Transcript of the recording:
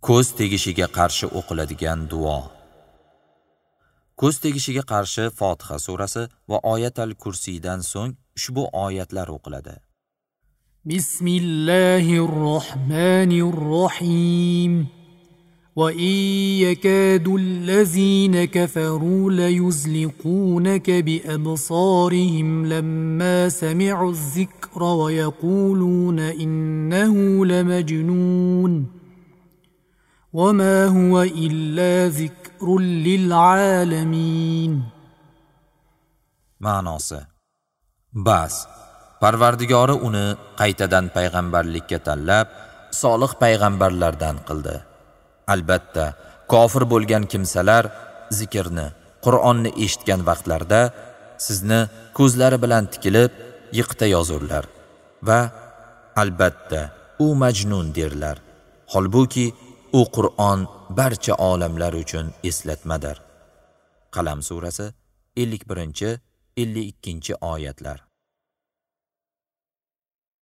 Ko'z tegishiga qarshi o'qiladigan duo. Ko'z tegishiga qarshi Fotiha surasi va Oyatal Kursiydan so'ng ushbu oyatlar o'qiladi. Bismillahirrohmanirrohim. Va in yakadul-lazina kafaru layuzliqunaka bi-absarihim lamma sami'uz-zikra va yaquluna innahu lamajnun. وما هو إلا ذكر للعالمين. Ma'nosi: Bas, Parvardigori uni qaytadan payg'ambarlikka tanlab, solih payg'ambarlardan qildi. Albatta, kofir bo'lgan kimsalar zikrni, Qur'onni eshitgan vaqtlarida sizni ko'zlari bilan tikilib yiqita yozurlar va albatta u majnun derlar. Holbuki u Qur'on barcha olamlar uchun eslatmadir. Qalam surasi 51-52 oyatlar.